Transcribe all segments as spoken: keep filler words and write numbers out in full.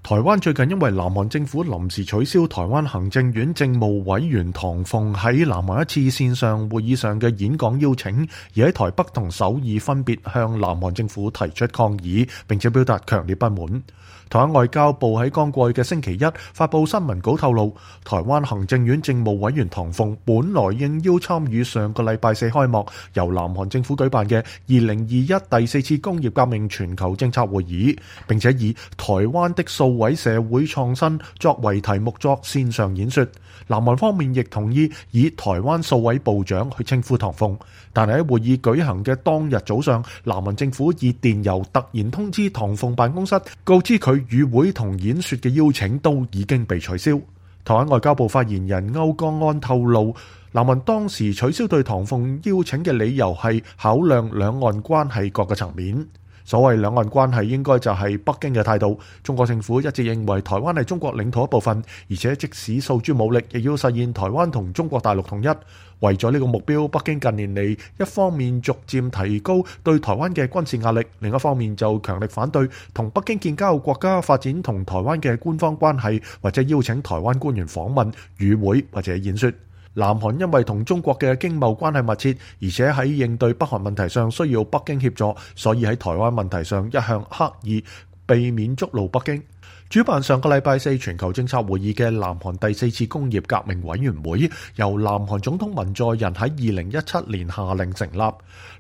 台灣最近因為南韓政府臨時取消台灣行政院政務委員唐鳳喺南韓一次線上會議上嘅演講邀請，而喺台北同首爾分別向南韓政府提出抗議，並且表達強烈不滿。台灣外交部喺剛過去嘅星期一發布新聞稿透露，台灣行政院政務委員唐鳳本來應邀參與上個禮拜四開幕由南韓政府舉辦嘅二零二一第四次工業革命全球政策會議，並且以台灣的數位社會創新作為題目作線上演說。南韓方面亦同意以台灣數位部長去稱呼唐鳳，但係喺會議舉行嘅當日早上，南韓政府以電郵突然通知唐鳳辦公室，告知佢與會同演說嘅邀請都已經被取消。台灣外交部發言人歐江安透露，南韓當時取消對唐鳳邀請嘅理由係考量兩岸關係各個層面。所謂兩岸關係應該就係北京嘅態度。中國政府一直認為台灣係中國領土一部分，而且即使訴諸武力，亦要實現台灣同中國大陸統一。為咗呢個目標，北京近年嚟一方面逐漸提高對台灣嘅軍事壓力，另一方面就強力反對同北京建交國家發展同台灣嘅官方關係，或者邀請台灣官員訪問、與會或者演說。南韓因為同中國嘅經貿關係密切，而且喺應對北韓問題上需要北京協助，所以喺台灣問題上一向刻意避免觸怒北京。主辦上個禮拜四全球政策會議嘅南韓第四次工業革命委員會，由南韓總統文在寅喺二零一七年下令成立。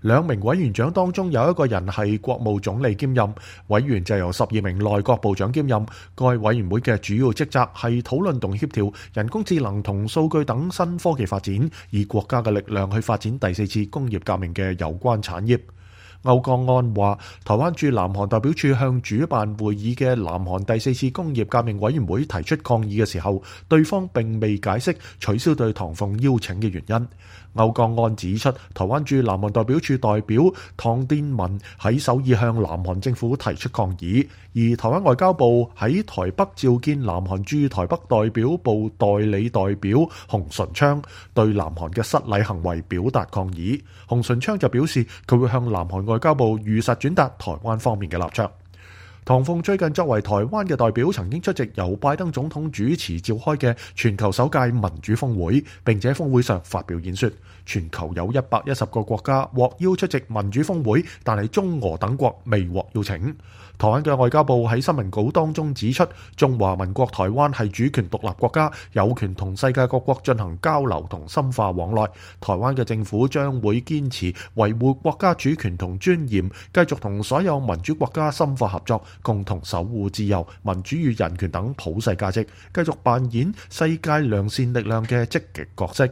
兩名委員長當中有一個人係國務總理兼任，委員就由十二名內閣部長兼任。該委員會嘅主要職責係討論同協調人工智能同數據等新科技發展，以國家嘅力量去發展第四次工業革命嘅有關產業。歐江安話，台灣駐南韓代表處向主辦會議嘅南韓第四次工業革命委員會提出抗議嘅時候，對方並未解釋取消對唐鳳邀請嘅原因。歐江安指出，台灣駐南韓代表處代表唐殿文喺首爾向南韓政府提出抗議，而台灣外交部喺台北召見南韓駐台北代表部代理代表洪純昌，對南韓嘅失禮行為表達抗議。洪純昌就表示，佢會向南韓外交部如實轉達台灣方面嘅立場。唐鳳最近作為台灣嘅代表，曾經出席由拜登總統主持召開嘅全球首屆民主峰會，並且喺峰會上發表演說。全球有一百一十個國家獲邀出席民主峰會，但係中俄等國未獲邀請。台灣嘅外交部喺新聞稿當中指出，中華民國台灣係主權獨立國家，有權同世界各國進行交流同深化往來。台灣嘅政府將會堅持維護國家主權同尊嚴，繼續同所有民主國家深化合作，共同守護自由、民主與人權等普世價值，繼續扮演世界良善力量嘅積極角色。